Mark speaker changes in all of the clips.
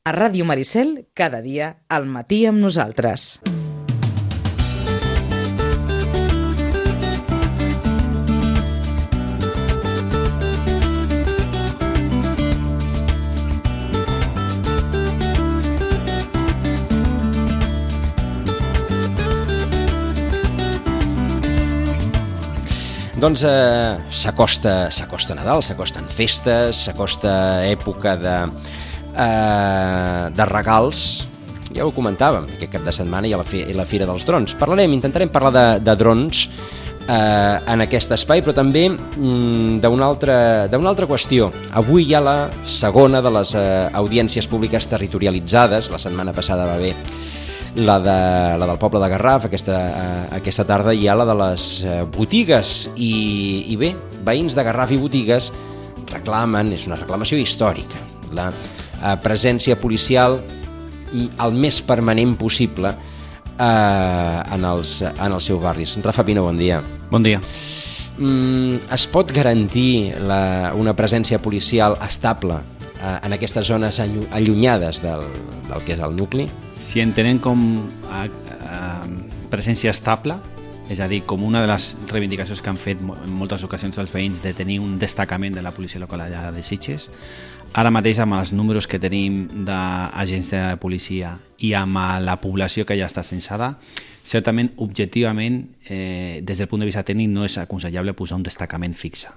Speaker 1: A Ràdio Maricel, cada dia, al matí amb nosaltres.
Speaker 2: Doncs s'acosta Nadal, s'acosten festes, s'acosta època de regals. Ja ho comentàvem, aquest cap de setmana i la Fira dels Drons. Intentarem parlar de drons en aquest espai, però també d'una altra qüestió. Avui hi ha la segona de les audiències públiques territorialitzades. La setmana passada va haver la del poble de Garraf, aquesta tarda hi ha la de les botigues i bé, veïns de Garraf i botigues reclamen, és una reclamació històrica, la presència policial el més permanent possible en els seus barris. Rafa Pina, bon dia.
Speaker 3: Bon dia.
Speaker 2: Es pot garantir una presència policial estable en aquestes zones allunyades del que és el nucli?
Speaker 3: Si entenem com presència estable, és a dir, com una de les reivindicacions que han fet en moltes ocasions els veïns de tenir un destacament de la policia local allà de Sitges, ara mateix amb els números que tenim d'agents de policia i amb la població que ja està censada, certament, objectivament, des del punt de vista tècnic no és aconsellable posar un destacament fixe.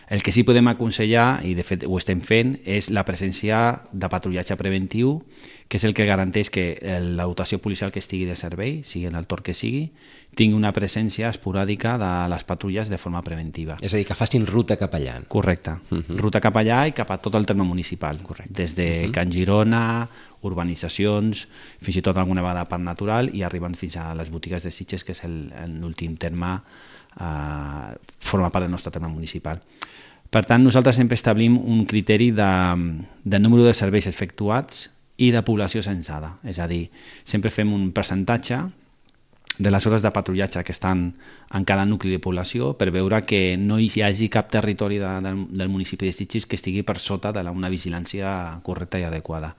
Speaker 3: El que sí podem aconsellar, i de fet ho estem fent, és la presència de patrullatge preventiu, que és el que garanteix que la dotació policial que estigui de servei, sigui en el torn que sigui, tingui una presència esporàdica de les patrulles de forma preventiva.
Speaker 2: És a dir, que facin ruta cap allà.
Speaker 3: Correcte. Ruta cap allà i cap a tot el terme municipal. Correcte. Des de Can Girona, urbanitzacions, fins i tot alguna vegada parc natural i arribant fins a les botigues de Sitges, que és l'últim terme, forma part del nostre terme municipal. Per tant, nosaltres sempre establim un criteri de número de serveis efectuats i de població censada. És a dir, sempre fem un percentatge de les hores de patrullatge que estan en cada nucli de població per veure que no hi hagi cap territori del municipi de Sitges que estigui per sota d'una vigilància correcta i adequada.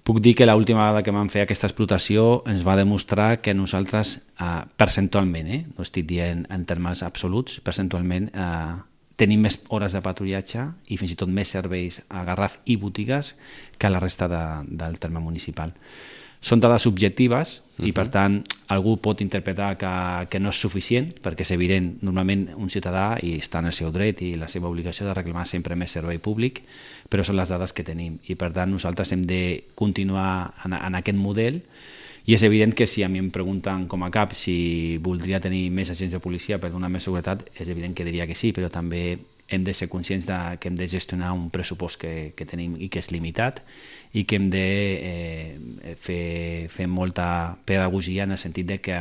Speaker 3: Puc dir que l'última vegada que vam fer aquesta explotació ens va demostrar que nosaltres, percentualment, no estic dient en termes absoluts, percentualment tenim més hores de patrullatge i fins i tot més serveis a Garraf i botigues que a la resta del terme municipal. Són dades subjectives i, per tant, algú pot interpretar que no és suficient, perquè és evident, normalment un ciutadà i està en el seu dret i la seva obligació de reclamar sempre més servei públic, però són les dades que tenim i, per tant, nosaltres hem de continuar en aquest model. I és evident que si a mi em pregunten com a cap si voldria tenir més agents de policia per donar més seguretat, és evident que diria que sí, però també hem de ser conscients que hem de gestionar un pressupost que tenim i que és limitat i que hem de fer molta pedagogia en el sentit de que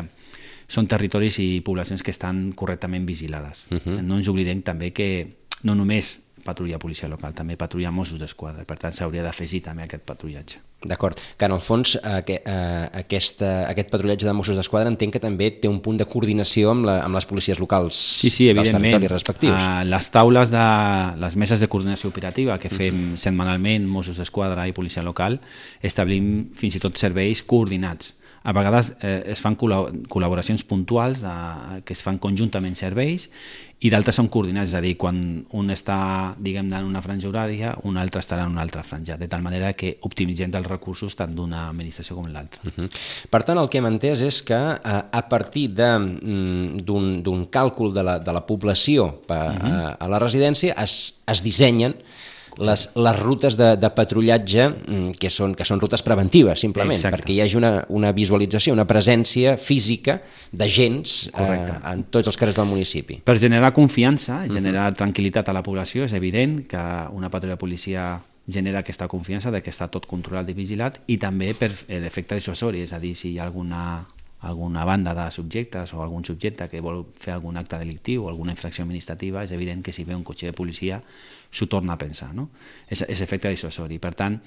Speaker 3: són territoris i poblacions que estan correctament vigilades. No ens oblidem també que no només patrulla policia local, també patrulla Mossos d'Esquadra, per tant s'hauria d'afegir també aquest patrullatge.
Speaker 2: D'acord, que en el fons aquest patrullatge de Mossos d'Esquadra entenc que també té un punt de coordinació amb les policies locals dels territoris respectius.
Speaker 3: Les taules de les meses de coordinació operativa que fem setmanalment Mossos d'Esquadra i policia local establim fins i tot serveis coordinats. A vegades es fan col·laboracions puntuals que es fan conjuntament serveis i d'altres són coordinats, és a dir, quan un està, diguem-ne, en una franja horària, un altre estarà en una altra franja, de tal manera que optimitzem els recursos tant d'una administració com l'altra.
Speaker 2: Per tant, el que hem entès és que a partir d'un càlcul de la població a la residència es dissenyen les rutes de patrullatge que són rutes preventives, simplement. Exacte. Perquè hi hagi una visualització, una presència física d'agents en tots els carrers del municipi.
Speaker 3: Per generar confiança, generar tranquil·litat a la població, és evident que una patrulla de policia genera aquesta confiança de que està tot controlat i vigilat i també per l'efecte dissuasori, és a dir, si hi ha alguna banda de subjectes o algun subjecte que vol fer algun acte delictiu o alguna infracció administrativa, és evident que si ve un cotxe de policia s'ho torna a pensar, no? És efecte dissuasori. Per tant,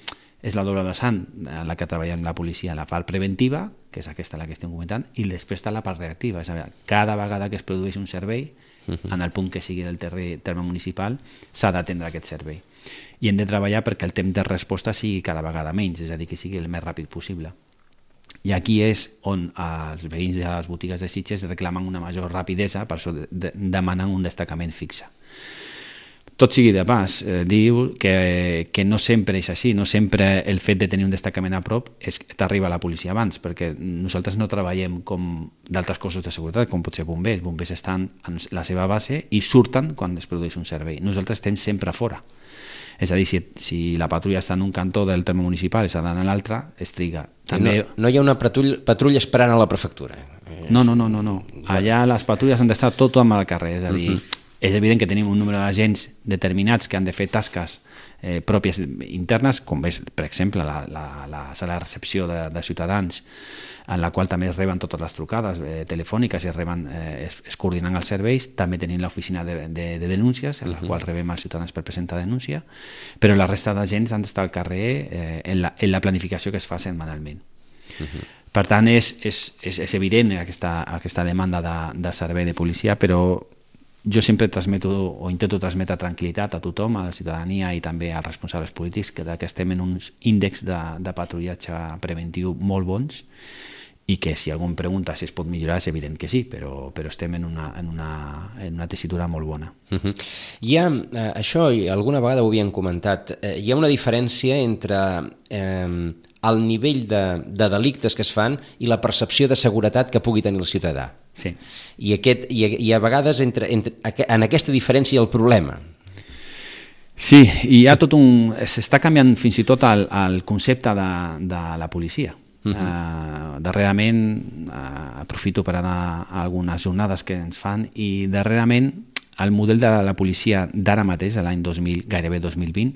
Speaker 3: és la doble vessant en la que treballem la policia, la part preventiva, que és aquesta la que estem comentant, i després està la part reactiva, és a dir, cada vegada que es produeix un servei en el punt que sigui del terme municipal, s'ha d'atendre aquest servei. I hem de treballar perquè el temps de resposta sigui cada vegada menys, és a dir, que sigui el més ràpid possible. I aquí és on els veïns de les botigues de Sitges reclamen una major rapidesa, per això demanen un destacament fixe. Tot sigui de pas, diu que no sempre és així, no sempre el fet de tenir un destacament a prop és que t'arriba la policia abans, perquè nosaltres no treballem com d'altres cossos de seguretat, com pot ser bombers. Bombers estan en la seva base i surten quan es produeix un servei. Nosaltres estem sempre fora. És a dir, si la patrulla està en un cantó del terme municipal i s'ha d'anar a l'altre, es triga.
Speaker 2: També... No hi ha una patrulla esperant a la prefectura.
Speaker 3: No. Allà les patrulles han d'estar tot amb al carrer, és a dir, és evident que tenim un número d'agents determinats que han de fer tasques pròpies internes, com és, per exemple, la sala de recepció de ciutadans, en la qual també es reben totes les trucades telefòniques i es coordinen els serveis. També tenim l'oficina de denúncies, en la qual rebem els ciutadans per presentar denúncia, però la resta d'agents han d'estar al carrer en la planificació que es fa setmanalment. Per tant, és evident aquesta demanda de servei de policia, però jo sempre transmeto o intento transmetre tranquil·litat a tothom, a la ciutadania i també als responsables polítics, que estem en uns índexs de patrullatge preventiu molt bons i que si algú em pregunta si es pot millorar és evident que sí, però estem en una tessitura molt bona.
Speaker 2: Hi ha, això alguna vegada ho havíem comentat, hi ha una diferència entre el nivell de delictes que es fan i la percepció de seguretat que pugui tenir el ciutadà.
Speaker 3: Sí.
Speaker 2: I a vegades en aquesta diferència el problema.
Speaker 3: Sí, i hi ha s'està canviant fins i tot el concepte de la policia. Darrerament aprofito per anar a algunes jornades que ens fan i darrerament el model de la policia d'ara mateix, l'any 2000, gairebé 2020,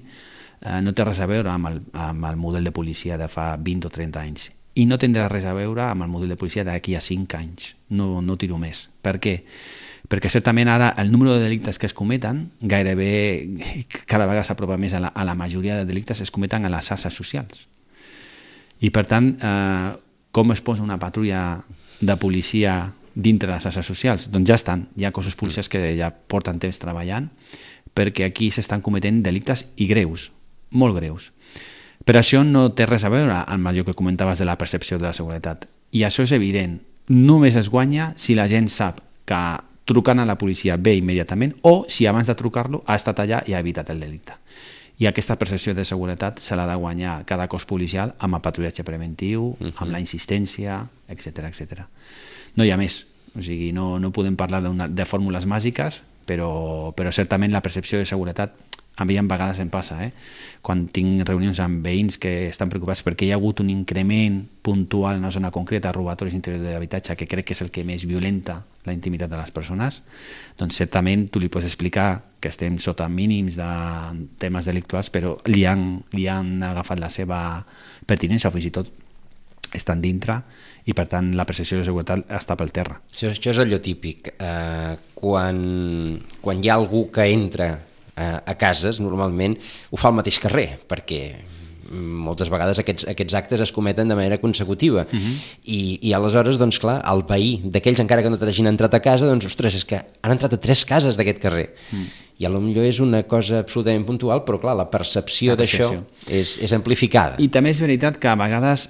Speaker 3: no té res a veure amb el model de policia de fa 20 o 30 anys i no tindrà res a veure amb el model de policia d'aquí a 5 anys, no tiro més. Per què? Perquè certament ara el número de delictes que es cometen gairebé cada vegada s'apropa més a la majoria de delictes es cometen a les xarxes socials. I per tant, com es posa una patrulla de policia dintre les xarxes socials? Doncs ja estan, hi ha cossos policials que ja porten temps treballant perquè aquí s'estan cometent delictes i greus, molt greus. Però això no té res a veure amb allò que comentaves de la percepció de la seguretat. I això és evident. Només es guanya si la gent sap que trucant a la policia ve immediatament o si abans de trucar-lo ha estat allà i ha evitat el delicte. I aquesta percepció de seguretat se l'ha de guanyar cada cos policial amb el patrullatge preventiu, amb la insistència, etc. No hi ha més. O sigui, no podem parlar de fórmules màgiques, però certament la percepció de seguretat a mi vegades em passa, quan tinc reunions amb veïns que estan preocupats perquè hi ha hagut un increment puntual en una zona concreta, robatoris interiors de l'habitatge, que crec que és el que més violenta la intimitat de les persones, doncs certament tu li pots explicar que estem sota mínims de temes delictuals, però li han agafat la seva pertinença o fins i tot estan dintre i per tant la percepció de seguretat està pel terra.
Speaker 2: Això és allò típic. Quan hi ha algú que entra a cases, normalment ho fa al mateix carrer, perquè moltes vegades aquests actes es cometen de manera consecutiva i aleshores, doncs clar, el veí d'aquells encara que no t'hagin entrat a casa, doncs ostres, és que han entrat a 3 cases d'aquest carrer i potser és una cosa absolutament puntual, però clar, la percepció d'això és amplificada.
Speaker 3: I també és veritat que a vegades,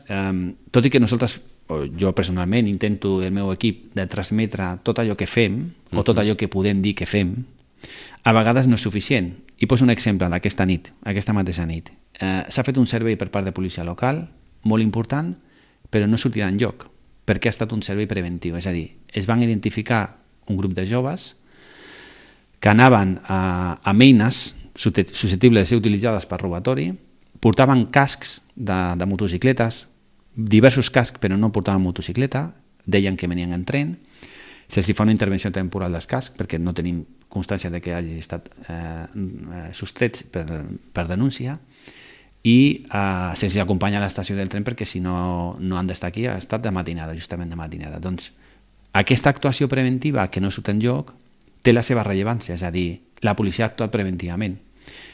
Speaker 3: tot i que nosaltres, o jo personalment intento el meu equip de transmetre tot allò que fem o tot allò que podem dir que fem, a vegades no és suficient. I poso un exemple d'aquesta nit, aquesta mateixa nit. S'ha fet un servei per part de policia local, molt important, però no sortirà enlloc, perquè ha estat un servei preventiu. És a dir, es van identificar un grup de joves que anaven amb eines susceptibles de ser utilitzades per robatori, portaven cascs de motocicletes, diversos cascs però no portaven motocicleta, deien que venien en tren, se'ls fa una intervenció temporal dels cascs perquè no tenim constància de que hagi estat sostrets per denúncia i se'ls acompanya a l'estació del tren perquè si no han d'estar aquí, ha estat de matinada, justament de matinada. Doncs aquesta actuació preventiva que no surt enlloc té la seva rellevància, és a dir, la policia ha actuat preventivament.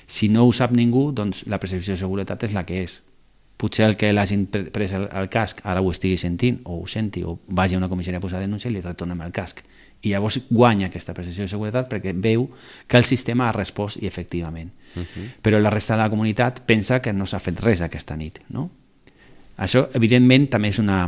Speaker 3: Si no ho sap ningú, doncs la percepció de seguretat és la que és. potser el que l'hagin pres el casc ara ho estigui sentint o ho senti o vagi a una comissaria a posar denúncia i li retornem el casc. I llavors guanya aquesta percepció de seguretat perquè veu que el sistema ha respost i efectivament. Però la resta de la comunitat pensa que no s'ha fet res aquesta nit. No? Això, evidentment, també és una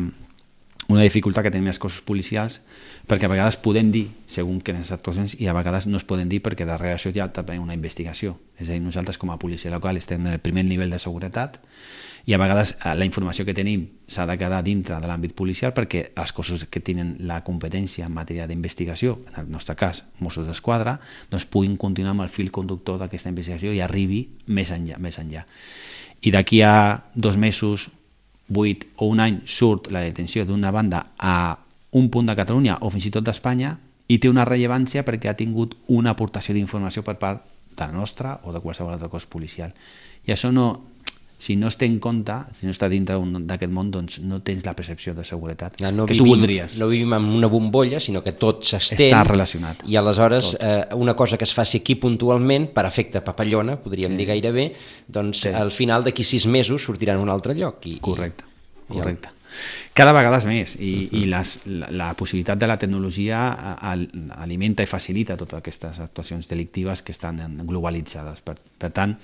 Speaker 3: dificultat que tenim els cossos policials perquè a vegades podem dir segons quines actuacions i a vegades no es poden dir perquè darrere això hi ha també una investigació. És a dir, nosaltres com a policia local estem en el primer nivell de seguretat i a vegades la informació que tenim s'ha de quedar dintre de l'àmbit policial perquè els cossos que tenen la competència en matèria d'investigació, en el nostre cas Mossos d'Esquadra, doncs puguin continuar amb el fil conductor d'aquesta investigació i arribi més enllà. I d'aquí a 2 mesos, 8 o un any surt la detenció d'una banda a un punt de Catalunya o fins i tot d'Espanya i té una rellevància perquè ha tingut una aportació d'informació per part de la nostra o de qualsevol altre cos policial. I això no, si no es té en compte, si no està dintre d'aquest món, doncs no tens la percepció de seguretat que tu voldries.
Speaker 2: No vivim en una bombolla, sinó que tot s'estén.
Speaker 3: Està relacionat.
Speaker 2: I aleshores una cosa que es faci aquí puntualment, per efecte papallona, podríem dir gairebé, doncs al final d'aquí 6 mesos sortirà en un altre lloc.
Speaker 3: Correcte. Cada vegada més i la possibilitat de la tecnologia alimenta i facilita totes aquestes actuacions delictives que estan globalitzades. Per tant,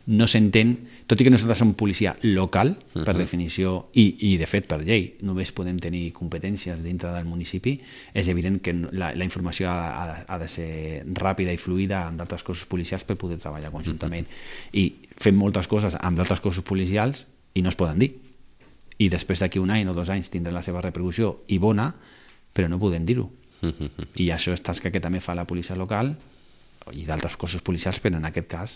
Speaker 3: no s'entén, tot i que nosaltres som policia local, per definició, i de fet per llei, només podem tenir competències dintre del municipi, és evident que la informació ha de ser ràpida i fluida amb d'altres cossos policials per poder treballar conjuntament. I fem moltes coses amb d'altres cossos policials i no es poden dir. I després d'aquí un any o 2 anys tindrà la seva repercussió i bona, però no podem dir-ho. I això és tasca que també fa la policia local i d'altres cossos policials, però en aquest cas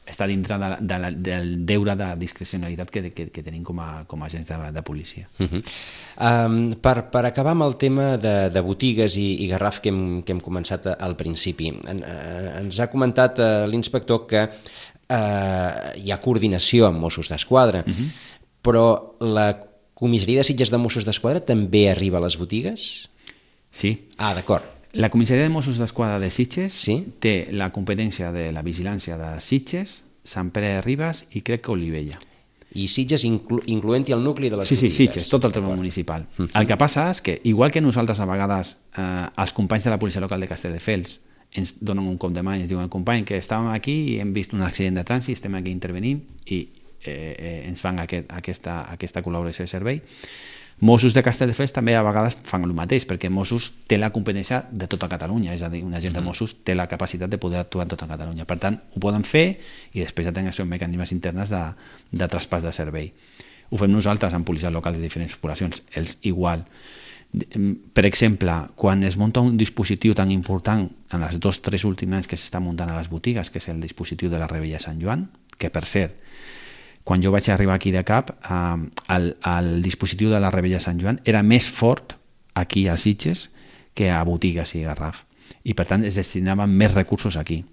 Speaker 3: està dintre del deure de discrecionalitat que tenim com a agents de policia.
Speaker 2: Per acabar amb el tema de botigues i Garraf que hem començat al principi, ens ha comentat l'inspector que hi ha coordinació amb Mossos d'Esquadra, però la comissaria de Sitges de Mossos d'Esquadra també arriba a les botigues?
Speaker 3: Sí.
Speaker 2: Ah, d'acord.
Speaker 3: La comissaria de Mossos d'Esquadra de Sitges té la competència de la vigilància de Sitges, Sant Pere de Ribes i crec que Olivella.
Speaker 2: I Sitges incloent-hi el nucli de les botigues?
Speaker 3: Sí, Sitges, tot el terme municipal. El que passa és que, igual que nosaltres a vegades, els companys de la policia local de Castelldefels ens donen un cop de mà i ens diuen company que estàvem aquí i hem vist un accident de trànsit, estem aquí intervenint i ens fan aquesta col·laboració de servei. Mossos de Castelldefels també a vegades fan el mateix perquè Mossos té la competència de tota Catalunya, és a dir, un agent de Mossos té la capacitat de poder actuar en tota Catalunya, per tant ho poden fer i després ja tenen els seus mecanismes internes de traspàs de servei. Ho fem nosaltres amb policies locals de diferents poblacions, ells igual. Per exemple, quan es munta un dispositiu tan important en els 2-3 últims anys que s'està muntant a les botigues, que és el dispositiu de la Rebella de Sant Joan, que per cert, quan jo vaig arribar aquí de cap, el dispositiu de la Rebella de Sant Joan era més fort aquí a Sitges que a botigues i Garraf. I per tant es destinaven més recursos aquí.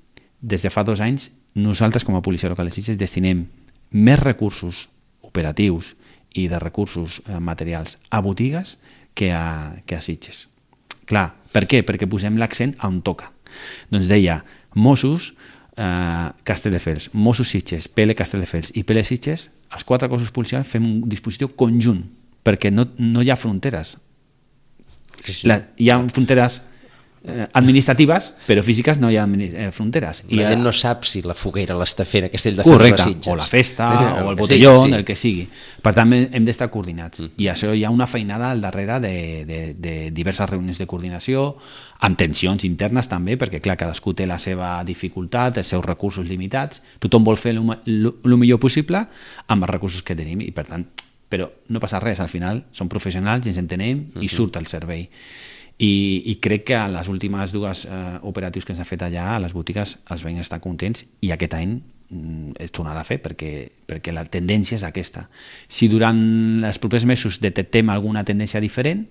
Speaker 3: Des de fa 2 anys, nosaltres com a policia local de Sitges destinem més recursos operatius i de recursos materials a botigues que a Sitges. Clar, per què? Perquè posem l'accent on toca. Doncs deia, Mossos, Castelldefels, Mossos Sitges, PL Castelldefels i PL Sitges, els 4 cossos policials fem un dispositiu conjunt, perquè no hi ha fronteres. Hi ha fronteres administratives, però físiques no hi ha fronteres.
Speaker 2: La gent no sap si la foguera l'està fent a Castelldefels o a Sitges.
Speaker 3: O la festa, o el botelló, el que sigui. Per tant, hem d'estar coordinats. I això hi ha una feinada al darrere de diverses reunions de coordinació, amb tensions internes també, perquè clar, cadascú té la seva dificultat, els seus recursos limitats, tothom vol fer el millor possible amb els recursos que tenim, i per tant, però no passa res, al final som professionals i ens entenem i surt el servei. I crec que a les últimes 2 operatius que s'han fet allà a les botigues els veïns estan contents i aquest any es tornarà a fer perquè la tendència és aquesta. Si durant els propers mesos detectem alguna tendència diferent,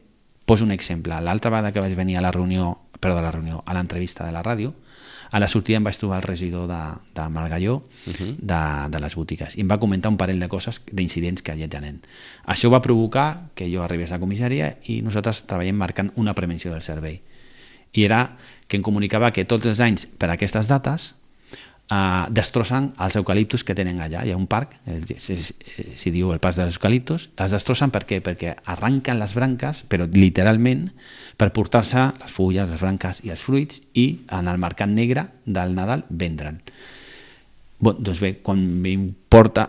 Speaker 3: poso un exemple. L'altra vegada que vaig venir a l'entrevista de la ràdio, a la sortida em vaig trobar el regidor de Margalló de les botigues i em va comentar un parell de coses, d'incidents que allà tenen. Això va provocar que jo arribés a la comissaria i nosaltres treballem marcant una prevenció del servei. I era que em comunicava que tots els anys per aquestes dates destrossen els eucaliptus que tenen allà. Hi ha un parc, s'hi diu el parc dels eucaliptus, els destrossen per què? Perquè arranquen les branques, però literalment, per portar-se les fulles, les branques i els fruits i en el mercat negre del Nadal vendre'n. Doncs bé, quan m'informa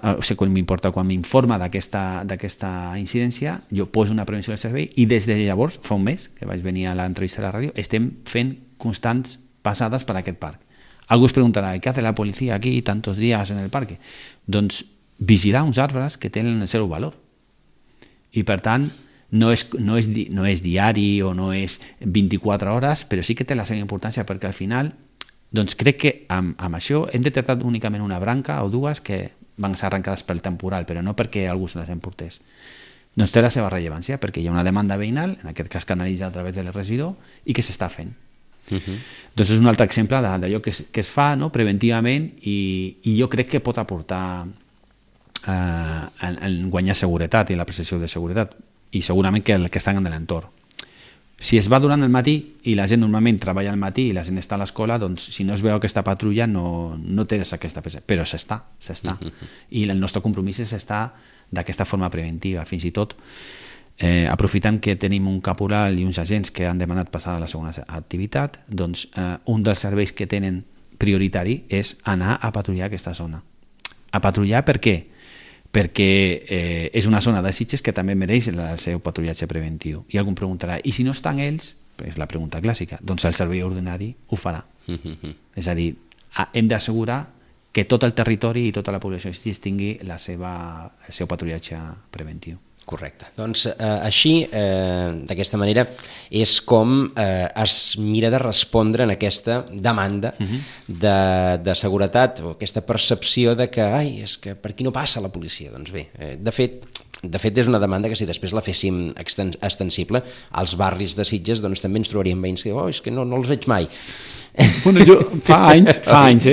Speaker 3: d'aquesta incidència, jo poso una prevenció del servei i des de llavors, fa un mes, que vaig venir a l'entrevista a la ràdio, estem fent constants passades per aquest parc. Algú es preguntarà, què fa la policia aquí tantos dies en el parc? Doncs vigilar uns arbres que tenen el seu valor. I per tant, no és diari o no és 24 hores, però sí que té la seva importància perquè al final doncs crec que amb això hem detectat únicament una branca o dues que van ser arrencades pel temporal, però no perquè algú se les emportés. Doncs té la seva rellevància, perquè hi ha una demanda veïnal, en aquest cas canalitzada a través del regidor, i que s'està fent. Doncs és un altre exemple d'allò que es fa preventivament i jo crec que pot aportar en guanyar seguretat i la percepció de seguretat, i segurament que estan en l'entorn. Si es va durant el matí i la gent normalment treballa al matí i la gent està a l'escola, doncs si no es veu aquesta patrulla no tens aquesta percepció, però s'està. I el nostre compromís és estar d'aquesta forma preventiva, fins i tot aprofitant que tenim un caporal i uns agents que han demanat passar a la segona activitat, doncs un dels serveis que tenen prioritari és anar a patrullar aquesta zona. A patrullar per què? Perquè és una zona de Sitges que també mereix el seu patrullatge preventiu. I algú em preguntarà, i si no estan ells? És la pregunta clàssica. Doncs el servei ordinari ho farà. És a dir, hem d'assegurar que tot el territori i tota la població de Sitges tingui el seu patrullatge preventiu.
Speaker 2: Correcte. Doncs així, d'aquesta manera, és com es mira de respondre en aquesta demanda de seguretat o aquesta percepció de que, és que per aquí no passa la policia. Doncs bé, de fet és una demanda que si després la féssim extensible als barris de Sitges, doncs també ens trobaríem veïns que és que no els veig mai.
Speaker 3: Bueno, jo fa anys,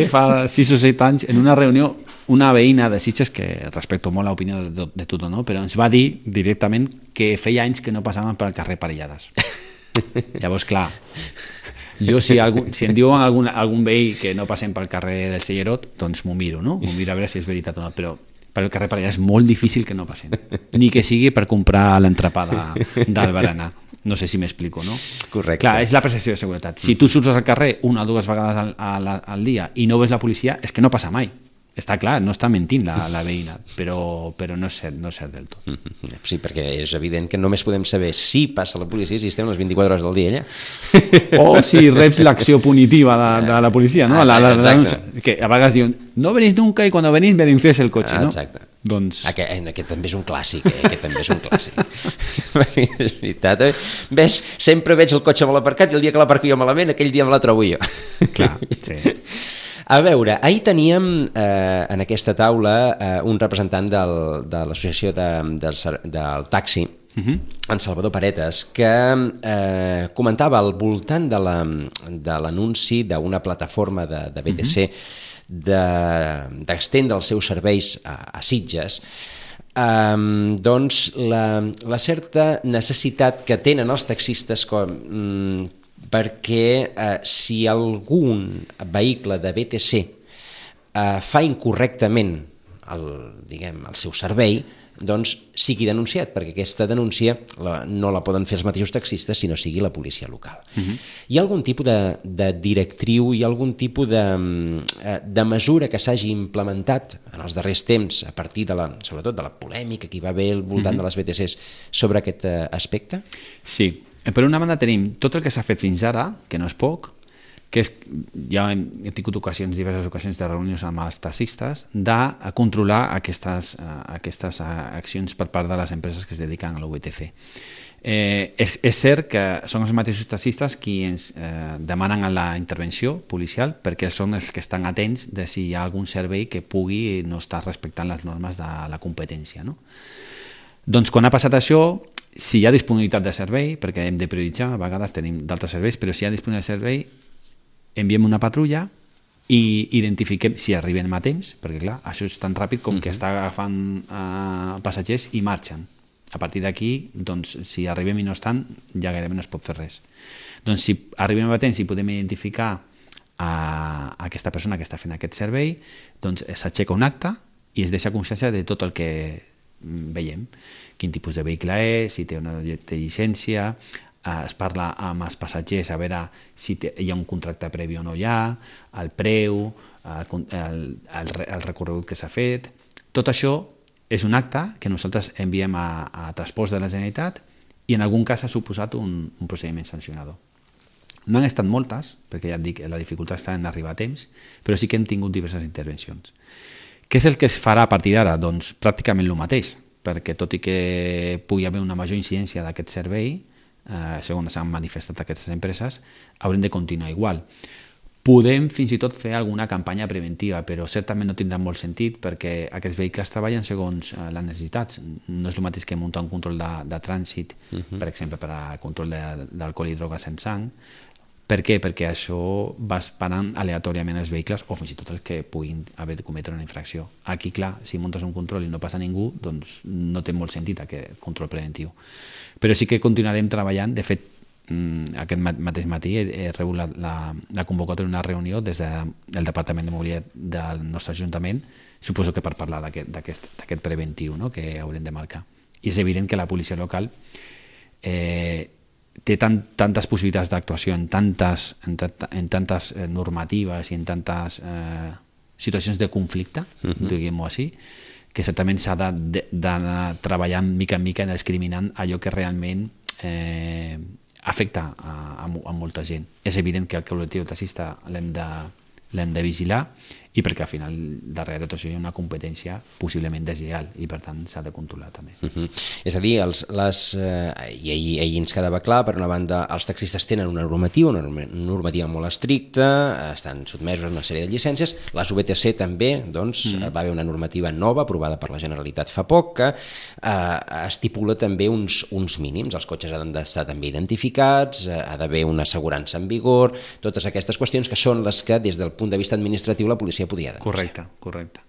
Speaker 3: fa 6 o 7 anys, en una reunió, una veïna de Sitges, que respecto molt a l'opinió de tothom, però ens va dir directament que feia anys que no passaven pel carrer parellades. Llavors, clar, jo si em diuen algun veí que no passem pel carrer del Cellerot, doncs m'ho miro, no? M'ho miro a veure si és veritat o no, però per el carrer parellades és molt difícil que no passem, ni que sigui per comprar l'entrepà del berenar. No sé si m'explico, no?
Speaker 2: Correcte.
Speaker 3: Clar, és la percepció de seguretat. Si tu surts al carrer una o dues vegades al dia i no veus la policia, és que no passa mai. Està clar, no està mentint la veïna, però no és cert del tot.
Speaker 2: Sí, perquè és evident que només podem saber si passa la policia si estem les 24 hores del dia allà.
Speaker 3: O si reps l'acció punitiva de la policia, no?
Speaker 2: Exacte.
Speaker 3: Que a vegades diuen, no venís nunca i quan venís me denuncias el cotxe, no?
Speaker 2: Exacte.
Speaker 3: Doncs...
Speaker 2: Aquest també és un clàssic, aquest també és un clàssic. És veritat, ves, sempre veig el cotxe mal aparcat i el dia que l'aparco jo malament, aquell dia me la trobo jo.
Speaker 3: Clar, sí.
Speaker 2: A veure, ahir teníem en aquesta taula un representant de l'associació del taxi, en Salvador Paretes, que comentava al voltant de l'anunci d'una plataforma de BTC d'estendre els seus serveis a Sitges, doncs la certa necessitat que tenen els taxistes perquè si algun vehicle de BTC fa incorrectament el seu servei, doncs sigui denunciat, perquè aquesta denúncia no la poden fer els mateixos taxistes si no sigui la policia local. Hi ha algun tipus de directriu, hi ha algun tipus de mesura que s'hagi implementat en els darrers temps a partir sobretot de la polèmica que hi va haver al voltant de les BTCs sobre aquest aspecte?
Speaker 3: Sí, per una banda tenim tot el que s'ha fet fins ara, que no és poc, que ja hem tingut diverses ocasions de reunions amb els taxistes, de controlar aquestes accions per part de les empreses que es dediquen a l'UTC. És cert que són els mateixos taxistes qui ens demanen la intervenció policial perquè són els que estan atents de si hi ha algun servei que pugui no estar respectant les normes de la competència, no? Doncs quan ha passat això, si hi ha disponibilitat de servei, perquè hem de prioritzar, a vegades tenim d'altres serveis, però si hi ha disponibilitat de servei, enviem una patrulla i identifiquem si arribem a temps, perquè clar, això és tan ràpid com que està agafant passatgers i marxen. A partir d'aquí, doncs, si arribem i no estan, ja gairebé no es pot fer res. Doncs si arribem a temps i podem identificar a aquesta persona que està fent aquest servei, doncs s'aixeca un acte i es deixa constància de tot el que veiem, quin tipus de vehicle és, si té una llicència, es parla amb els passatgers a veure si hi ha un contracte previ o no hi ha, el preu, el recorregut que s'ha fet. Tot això és un acte que nosaltres enviem a Transports de la Generalitat i en algun cas ha suposat un procediment sancionador. No han estat moltes, perquè ja et dic, la dificultat està en arribar a temps, però sí que hem tingut diverses intervencions. Què és el que es farà a partir d'ara? Doncs pràcticament el mateix, perquè tot i que pugui haver una major incidència d'aquest servei, segons s'han manifestat aquestes empreses, haurem de continuar igual. Podem fins i tot fer alguna campanya preventiva, però certament no tindrà molt sentit perquè aquests vehicles treballen segons les necessitats. No és el mateix que muntar un control de trànsit, per exemple, per a control d'alcohol i drogues en sang. Per què? Perquè això va parant aleatòriament els vehicles o fins i tot els que puguin haver de cometre una infracció. Aquí, clar, si muntes un control i no passa ningú, doncs no té molt sentit aquest control preventiu. Però sí que continuarem treballant. De fet, aquest mateix matí he rebut la convocatòria d'una reunió des del Departament de Mobilitat del nostre Ajuntament, suposo que per parlar d'aquest preventiu, no?, que haurem de marcar. I és evident que la policia local té tantes possibilitats d'actuació en tantes normatives i en tantes situacions de conflicte, diguem-ho així, que certament s'ha d'anar treballant mica en mica, discriminant allò que realment afecta a molta gent. És evident que el col·lectiu taxista l'hem de vigilar i perquè al final darrere tot això hi ha una competència possiblement deslleial i per tant s'ha de controlar també.
Speaker 2: És a dir, i ahir ens quedava clar, per una banda els taxistes tenen una normativa molt estricta, estan sotmesos a una sèrie de llicències, les VTC també, doncs va haver una normativa nova aprovada per la Generalitat fa poc que estipula també uns mínims, els cotxes han d'estar també identificats, ha d'haver una assegurança en vigor, totes aquestes qüestions que són les que des del punt de vista administratiu la policia podria denunciar.
Speaker 3: Correcte.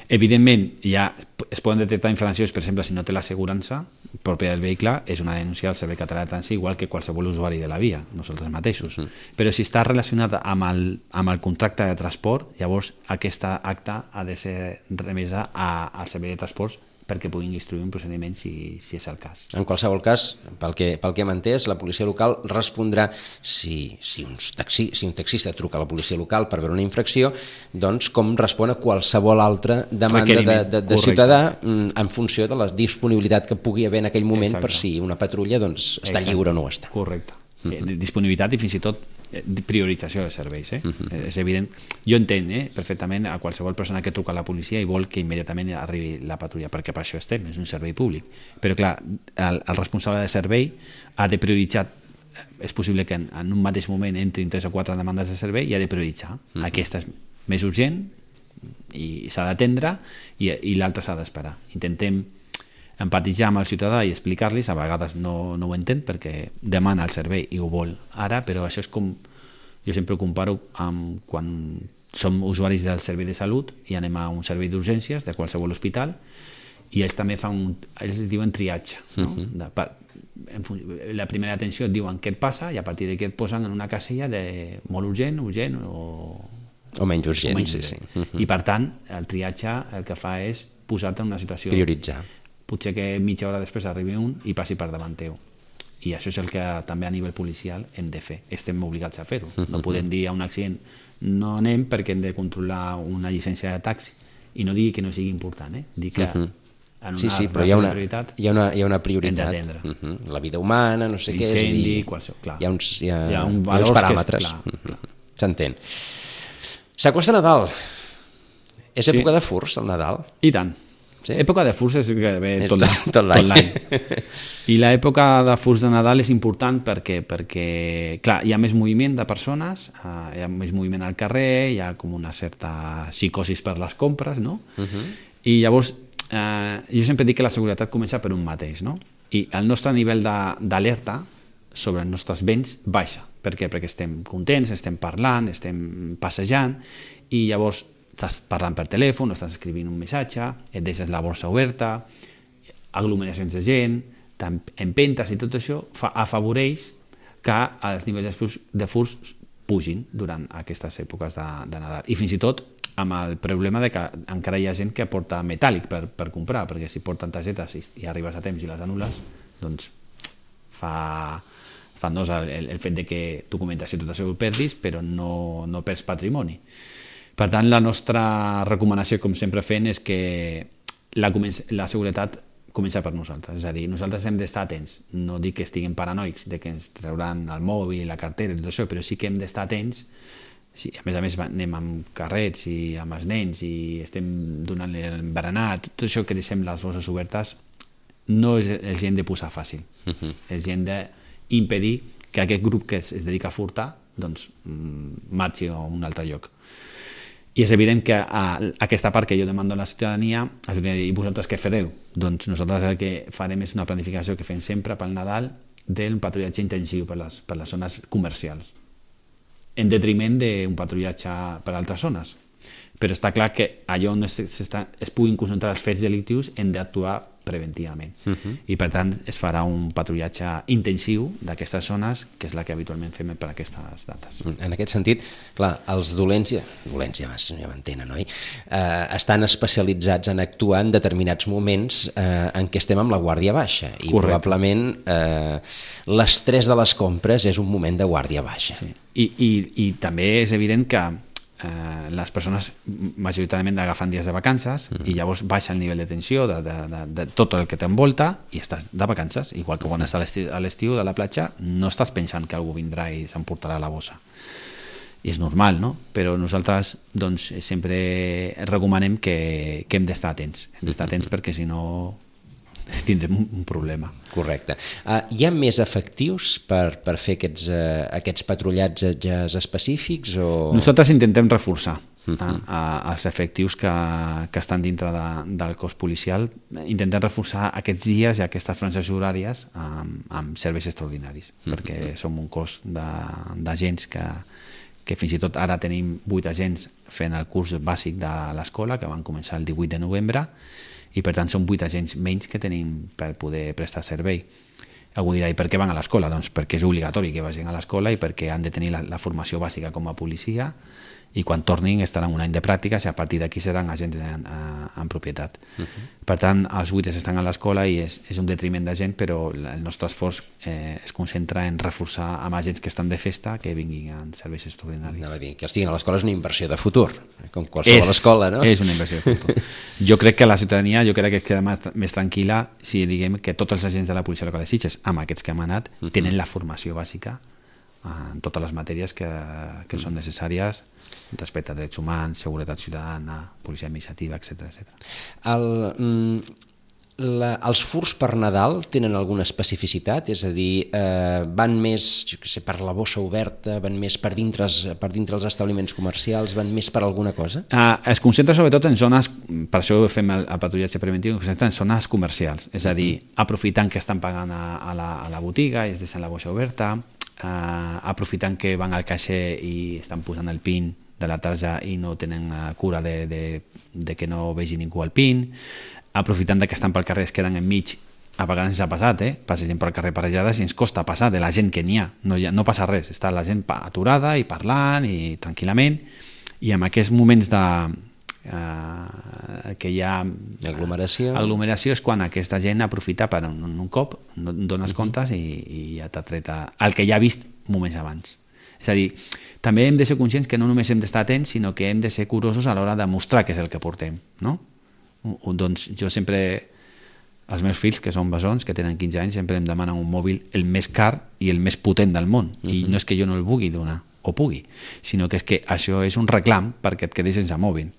Speaker 3: Evidentment, ja es poden detectar infraccions, per exemple, si no té l'assegurança pròpia del vehicle, és una denúncia al Servei Català de Trànsit, igual que qualsevol usuari de la via, nosaltres mateixos. Però si està relacionat amb el contracte de transport, llavors aquesta acta ha de ser remesa al Servei de Transports perquè puguin instruir un procediment si és el cas.
Speaker 2: En qualsevol cas, pel que hem entès, la policia local respondrà si un taxista truca a la policia local per veure una infracció, doncs com respon a qualsevol altra demanda de ciutadà en funció de la disponibilitat que pugui haver en aquell moment. Exacte. Per si una patrulla doncs, està lliure o no està.
Speaker 3: Correcte. Disponibilitat i fins i tot priorització de serveis. És evident, jo entenc perfectament a qualsevol persona que truca a la policia i vol que immediatament arribi la patrulla, perquè per això estem, és un servei públic, però clar, el responsable de servei ha de prioritzar. És possible que en un mateix moment entrin 3 o 4 demandes de servei i ha de prioritzar. Aquesta és més urgent i s'ha d'atendre i l'altra s'ha d'esperar. Intentem empatitzar amb el ciutadà i explicar-los, a vegades no ho entén perquè demana el servei i ho vol ara, però això és com, jo sempre ho comparo amb quan som usuaris del servei de salut i anem a un servei d'urgències de qualsevol hospital i ells també ells diuen triatge, no? La primera atenció et diuen què et passa i a partir d'aquí et posen en una casella de molt urgent
Speaker 2: o menys urgent. Sí.
Speaker 3: I per tant el triatge el que fa és posar-te en una situació,
Speaker 2: prioritzar. Potser
Speaker 3: que mitja hora després arribi un i passi per davant teu. I això és el que també a nivell policial hem de fer. Estem obligats a fer-ho. No podem dir a un accident no anem perquè hem de controlar una llicència de taxi i no digui que no sigui important. Dir que en una
Speaker 2: però hi ha una prioritat.
Speaker 3: Hem d'atendre.
Speaker 2: La vida humana, no sé què.
Speaker 3: L'incendi, qualsevol.
Speaker 2: Hi ha uns paràmetres. S'entén. S'acosta Nadal. És època de furs, el Nadal?
Speaker 3: I tant. Sí? Època de furs és gairebé tot l'any. I l'època de furs de Nadal és important perquè clar, hi ha més moviment de persones, hi ha més moviment al carrer, hi ha com una certa psicosis per les compres, no? I llavors jo sempre dic que la seguretat comença per un mateix, no? I el nostre nivell d'alerta sobre els nostres béns baixa. Per què? Perquè estem contents, estem parlant, estem passejant i llavors estàs parlant per telèfon, estàs escrivint un missatge, et deixes la borsa oberta, aglomeracions de gent, empentes i tot això afavoreix que els nivells de furs pugin durant aquestes èpoques de Nadal. I fins i tot amb el problema de que encara hi ha gent que porta metàl·lic per comprar, perquè si porten targetes i arribes a temps i les anules, doncs fa nosa el fet de que documentació tot això ho perdis, però no perds patrimoni. Per tant, la nostra recomanació, com sempre fem, és que la seguretat comença per nosaltres, és a dir, nosaltres hem d'estar atents, no dic que estiguem paranoics de que ens trauran el mòbil, la cartera i tot això, però sí que hem d'estar atents. Sí, a més anem amb carrets i amb els nens i estem donant-li el berenar, tot això que deixem les bosses obertes no els hem de posar fàcil, els hem d'impedir que aquest grup que es dedica a furtar doncs marxi a un altre lloc. I és evident que aquesta part que jo demando a la ciutadania, i vosaltres què fareu? Doncs nosaltres el que farem és una planificació que fem sempre pel Nadal d'un patrullatge intensiu per les zones comercials, en detriment d'un patrullatge per altres zones. Però està clar que allà on es puguin concentrar els fets delictius hem d'actuar preventivament. I per tant es farà un patrullatge intensiu d'aquestes zones, que és la que habitualment fem per aquestes dates.
Speaker 2: En aquest sentit, clar, els dolents ja m'entenen, oi? Estan especialitzats en actuar en determinats moments en què estem amb la guàrdia baixa i probablement l'estrès de les compres és un moment de guàrdia baixa.
Speaker 3: Sí. I també és evident que les persones majoritàriament agafen dies de vacances i llavors baixa el nivell de tensió de tot el que t'envolta i estàs de vacances, igual que quan estàs a l'estiu de la platja no estàs pensant que algú vindrà i s'emportarà la bossa, i és normal, no? Però nosaltres doncs sempre recomanem que hem d'estar atents, perquè si no tindrem un problema.
Speaker 2: Correcte. Hi ha més efectius per fer aquests patrullatges específics?
Speaker 3: Nosaltres intentem reforçar els efectius que estan dintre del cos policial. Intentem reforçar aquests dies i aquestes franges horàries amb serveis extraordinaris, perquè som un cos d'agents que fins i tot ara tenim 8 agents fent el curs bàsic de l'escola, que van començar el 18 de novembre, i per tant són 8 agents menys que tenim per poder prestar servei. Algú dirà, i per què van a l'escola? Doncs perquè és obligatori que vagin a l'escola i perquè han de tenir la formació bàsica com a policia, i quan tornin estaran un any de pràctiques i a partir d'aquí seran agents en propietat. Per tant, els 8 estan a l'escola i és un detriment de gent, però el nostre esforç es concentra en reforçar amb agents que estan de festa que vinguin en serveis extraordinaris.
Speaker 2: Anava a dir, que estiguin a l'escola és una inversió de futur, com qualsevol escola, no?
Speaker 3: És una inversió de futur. Jo crec que la ciutadania es queda més tranquil·la si diguem que tots els agents de la policia local de Sitges, amb aquests que hem anat, tenen la formació bàsica en totes les matèries que són necessàries respecte a drets humans, seguretat ciutadana, policia administrativa, etc.
Speaker 2: Els furs per Nadal tenen alguna especificitat? És a dir, van més per la bossa oberta, van més per dintre els establiments comercials, van més per alguna cosa?
Speaker 3: Es concentra sobretot en zones, per això fem el patrullatge preventiu, es concentra en zones comercials, és a dir, aprofitant que estan pagant a la botiga i es deixen la bossa oberta, aprofitant que van al caixer i estan posant el PIN de la tarja i no tenen cura de que no vegi ningú el PIN, aprofitant que estan pel carrer, es queden enmig, a vegades ens ha passat, passegem pel carrer parellades i ens costa passar de la gent que n'hi ha, no passa res, està la gent aturada i parlant i tranquil·lament, i en aquests moments que hi ha aglomeració és quan aquesta gent aprofita per un cop, dones comptes i ja t'ha tret el que ja ha vist moments abans. És a dir, també hem de ser conscients que no només hem d'estar atents, sinó que hem de ser curosos a l'hora de mostrar què és el que portem, no? Doncs jo sempre, els meus fills, que són bessons, que tenen 15 anys, sempre em demanen un mòbil el més car i el més potent del món, i no és que jo no el vulgui donar, o pugui, sinó que és que això és un reclam perquè et quedis sense mòbil.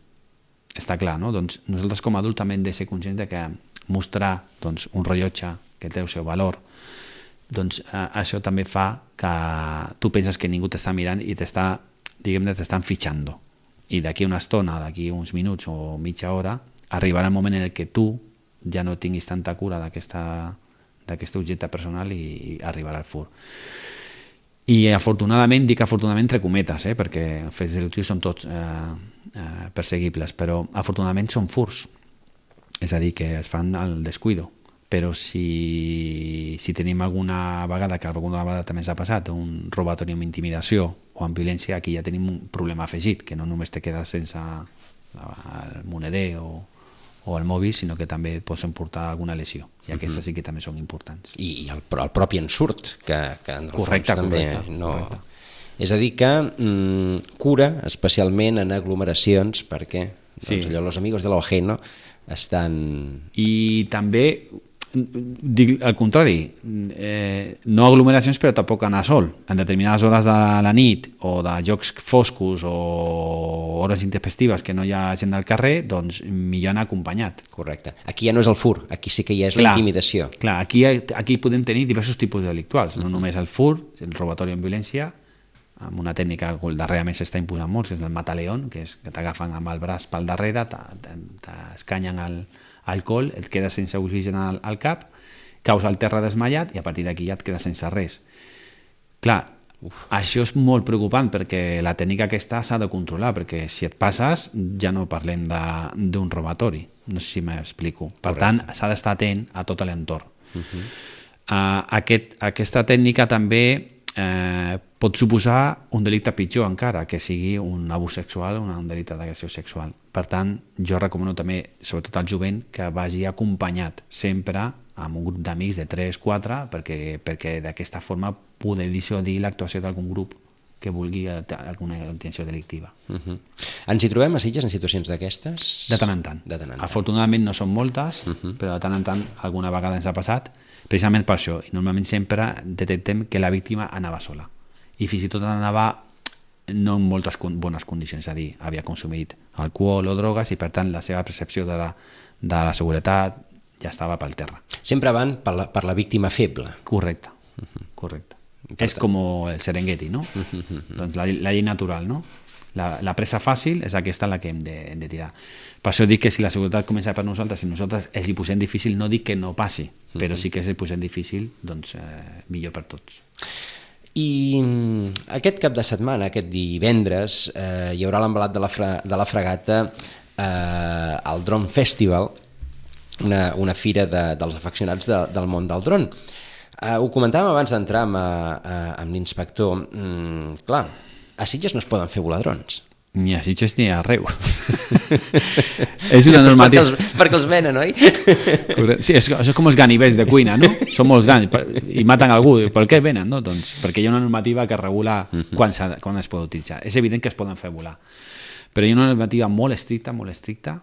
Speaker 3: Està clar, no? Doncs nosaltres com a adults també hem de ser conscients de que mostrar un rellotge que té el seu valor, doncs això també fa que tu penses que ningú t'està mirant i t'estan fitxant. I d'aquí una estona, d'aquí uns minuts o mitja hora, arribarà el moment en què tu ja no tinguis tanta cura d'aquest objecte personal i arribarà el fur. I afortunadament, dic afortunadament entre cometes, perquè els fets delictius són tots perseguibles, però afortunadament són furs, és a dir, que es fan al descuido. Però si tenim alguna vegada, que alguna vegada també ens ha passat, un robatori amb intimidació o o amb violència, aquí ja tenim un problema afegit, que no només te quedes sense el moneder o el mòbil, sinó que també et pots emportar alguna lesió, i aquestes sí que també són importants.
Speaker 2: I el propi ensurt, que en el
Speaker 3: Correcte,
Speaker 2: fons també
Speaker 3: correcte,
Speaker 2: no...
Speaker 3: correcte.
Speaker 2: És a dir que cura especialment en aglomeracions, perquè doncs, allò, los amigos de l'Ojeno estan...
Speaker 3: I també, dic al contrari, no aglomeracions però tampoc anar sol. En determinades hores de la nit o de jocs foscos o hores intempestives que no hi ha gent al carrer, doncs millor anar acompanyat.
Speaker 2: Correcte. Aquí ja no és el fur, aquí sí que ja és la intimidació.
Speaker 3: Clar, aquí podem tenir diversos tipus delictuals, no només el fur, el robatori amb violència, amb una tècnica que darrerament s'està imposant molt, que és el mataleón, que és que t'agafen amb el braç pel darrere, t'escanyen alcohol, et quedes sense oxigen al cap, caus al terra desmaiat i a partir d'aquí ja et quedes sense res. Clar, això és molt preocupant perquè la tècnica aquesta s'ha de controlar, perquè si et passes ja no parlem d'un robatori, no sé si m'explico. Per tant, s'ha d'estar atent a tot l'entorn. Aquesta tècnica també pot suposar un delicte pitjor encara, que sigui un abús sexual o un delicte d'agressió sexual. Per tant, jo recomano també, sobretot al jovent, que vagi acompanyat sempre amb un grup d'amics de 3-4, perquè d'aquesta forma poder dissuadir l'actuació d'algun grup que vulgui alguna intenció delictiva.
Speaker 2: Ens hi trobem a Sitges en situacions d'aquestes?
Speaker 3: De tant en tant. Afortunadament no són moltes, però de tant en tant alguna vegada ens ha passat, precisament per això. I normalment sempre detectem que la víctima anava sola. I fins i tot anava no en moltes bones condicions, és a dir, havia consumit alcohol o drogues i per tant la seva percepció de la seguretat ja estava pel terra.
Speaker 2: Sempre van per la víctima feble.
Speaker 3: Correcte, correcte. És com el Serengeti, no? Doncs la llei natural, no? La presa fàcil és aquesta la que hem de tirar. Per això dic que si la seguretat comença per nosaltres, si nosaltres els hi posem difícil, no dic que no passi, però sí que si els hi posem difícil, doncs millor per tots.
Speaker 2: I aquest cap de setmana, aquest divendres, hi haurà l'envelat de la Fragata al Drone Festival, una fira dels afeccionats del món del dron. Ho comentàvem abans d'entrar amb l'inspector. Clar, a Sitges no es poden fer volar drons.
Speaker 3: Ni a Sitges ni arreu. És una normativa...
Speaker 2: Perquè els venen, oi?
Speaker 3: Sí, això és com els ganivets de cuina, no? Són molt grans i maten algú. Per què venen? No? Doncs perquè hi ha una normativa que regula quan es pot utilitzar. És evident que es poden fer volar. Però hi ha una normativa molt estricta, molt estricta.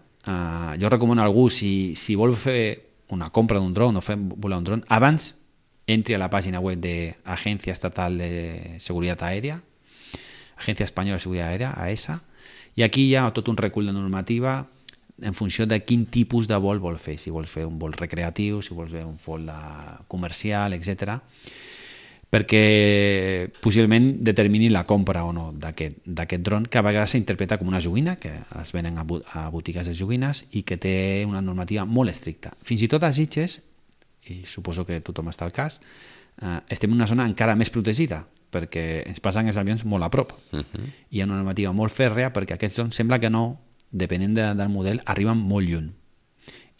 Speaker 3: Jo recomano a algú, si vol fer una compra d'un dron o fer volar un dron, abans entri a la pàgina web de Agencia Estatal de Seguridad Aérea, Agencia Espanyola de Seguridad Aérea, AESA, i aquí hi ha tot un recull de normativa en funció de quin tipus de vol vol fer, si vol fer un vol recreatiu, si vol fer un vol comercial, etc. Perquè possiblement determini la compra o no d'aquest dron, que a vegades s'interpreta com una joguina, que es venen a botigues de joguines i que té una normativa molt estricta. Fins i tot a Sitges, i suposo que tothom està al cas, estem en una zona encara més protegida, perquè ens passen els avions molt a prop. Hi ha una normativa molt fèrrea perquè aquests drons sembla que no, depenent del model, arriben molt lluny.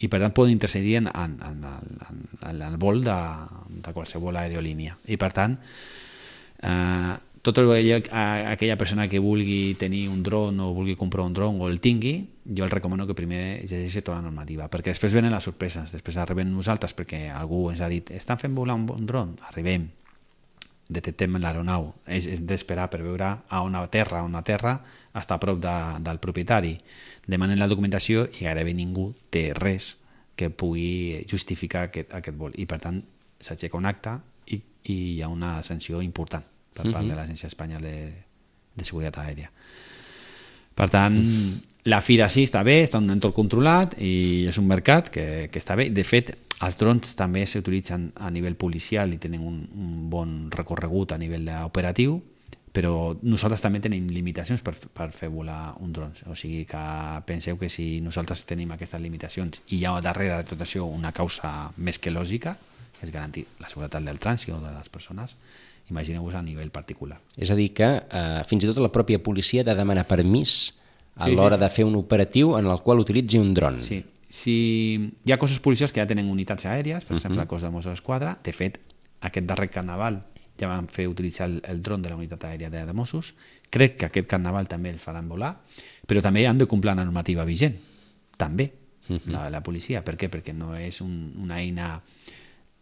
Speaker 3: I per tant poden intercedir en el vol de qualsevol aerolínia. I per tant, aquella persona que vulgui tenir un dron o vulgui comprar un dron o el tingui, jo el recomano que primer llegeixi tota la normativa, perquè després venen les sorpreses, després arribem nosaltres perquè algú ens ha dit estan fent volar un dron, arribem, detectem l'aeronau, és d'esperar per veure a on aterra, està a prop del propietari, demanen la documentació i gairebé ningú té res que pugui justificar aquest vol, i per tant s'aixeca un acte i hi ha una sanció important per part de l'Agència Espanyola de Seguretat Aèria. Per tant, la fira sí està bé, està en un entorn controlat i és un mercat que està bé. De fet, els drons també s'utilitzen a nivell policial i tenen un bon recorregut a nivell operatiu, però nosaltres també tenim limitacions per fer volar un dron. O sigui que penseu que si nosaltres tenim aquestes limitacions i hi ha darrere de tot això una causa més que lògica, que és garantir la seguretat del trànsit o de les persones, imagineu-vos a nivell particular.
Speaker 2: És a dir que fins i tot la pròpia policia ha de demanar permís a l'hora de fer un operatiu en el qual utilitzi un dron.
Speaker 3: Sí. Si hi ha cossos policials que ja tenen unitats aèries, per exemple el cos de Mossos d'Esquadra, de fet, aquest darrer carnaval ja van fer utilitzar el dron de la unitat aèria de Mossos. Crec que aquest carnaval també el faran volar, però també han de complir la normativa vigent, també, la policia. Per què? Perquè no és una eina...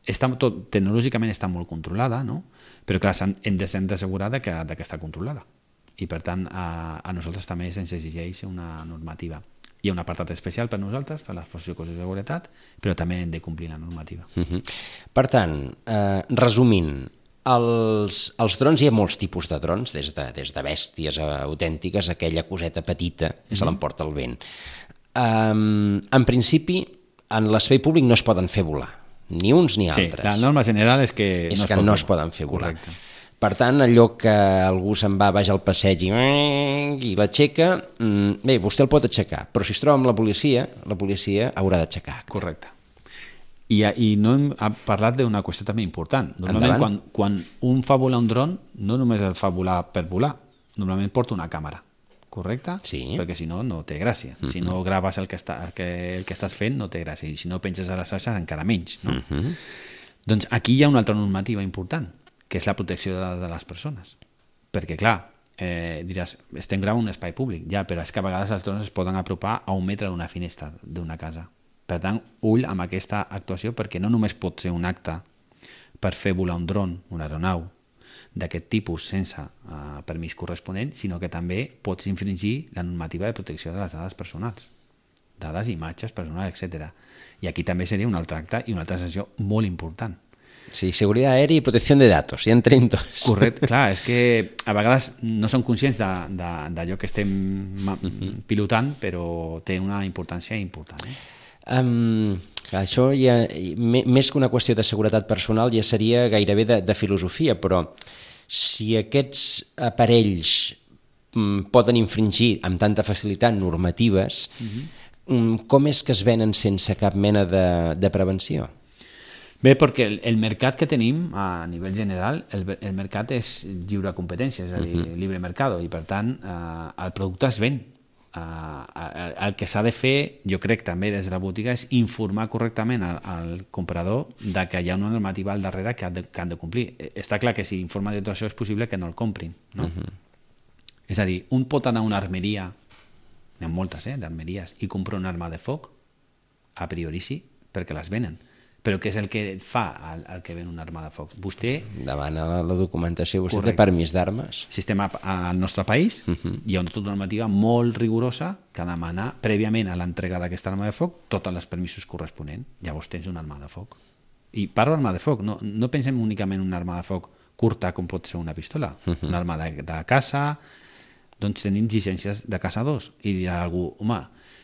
Speaker 3: Tecnològicament està molt controlada, no? Però clar, hem de ser assegurar que està controlada. I per tant, a nosaltres també se'ns exigeix una normativa. Hi ha un apartat especial per nosaltres, per les forces i cossos de seguretat, però també hem de complir la normativa.
Speaker 2: Per tant, resumint, els drons, hi ha molts tipus de drons, des de bèsties autèntiques, aquella coseta petita que se l'emporta el vent. En principi, en l'espai públic no es poden fer volar, ni uns ni altres.
Speaker 3: Sí, la norma general és que
Speaker 2: no es poden fer volar.
Speaker 3: Correcte.
Speaker 2: Per tant, allò que algú se'n va baix al passeig i l'aixeca, bé, vostè el pot aixecar, però si es troba amb la policia haurà d'aixecar.
Speaker 3: Correcte. I no hem parlat d'una qüestió també important. Normalment, quan un fa volar un dron, no només el fa volar per volar, normalment porta una càmera, correcte?
Speaker 2: Sí.
Speaker 3: Perquè si no, no té gràcia. Si no graves el que estàs fent, no té gràcia. I si no penses a les xarxes, encara menys. No? Doncs aquí hi ha una altra normativa important, que és la protecció de les persones. Perquè, clar, diràs, estem gravant un espai públic, ja, però és que a vegades els drons es poden apropar a 1 metre d'una finestra d'una casa. Per tant, ull amb aquesta actuació, perquè no només pot ser un acte per fer volar un dron, una aeronau, d'aquest tipus sense permís corresponent, sinó que també pots infringir la normativa de protecció de les dades personals. Dades, imatges, personals, etc. I aquí també seria un altre acte i una altra sanció molt important.
Speaker 2: Sí, seguretat aèria i protecció de datos, ja entrem tots.
Speaker 3: Correcte, clar, és que a vegades no som conscients d'allò que estem pilotant, però té una importància important.
Speaker 2: Això ja, més que una qüestió de seguretat personal, ja seria gairebé de filosofia, però si aquests aparells poden infringir amb tanta facilitat normatives, com és que es venen sense cap mena de prevenció?
Speaker 3: Bé, perquè el mercat que tenim a nivell general, el mercat és lliure competència, és a dir, libre mercado, i per tant el producte es ven. El que s'ha de fer, jo crec també des de la botiga, és informar correctament al comprador de que hi ha una normativa al darrere que han de complir. Està clar que si informa de tot això és possible que no el comprin, no? És a dir, un pot anar a una armeria, n'hi ha moltes, d'armeries, i comprar una arma de foc, a priori sí, perquè les venen. Però què és el que fa el que ven una arma de foc? Vostè
Speaker 2: demana la documentació, vostè té permís d'armes.
Speaker 3: Si estem al nostre país, hi ha una normativa molt rigorosa que demana prèviament a l'entrega d'aquesta arma de foc tots els permisos corresponents. Llavors tens una arma de foc. I parlo d'arma de foc, no pensem únicament en una arma de foc curta com pot ser una pistola, una arma de caça. Doncs tenim llicències de caçadors. I dirà algú, home,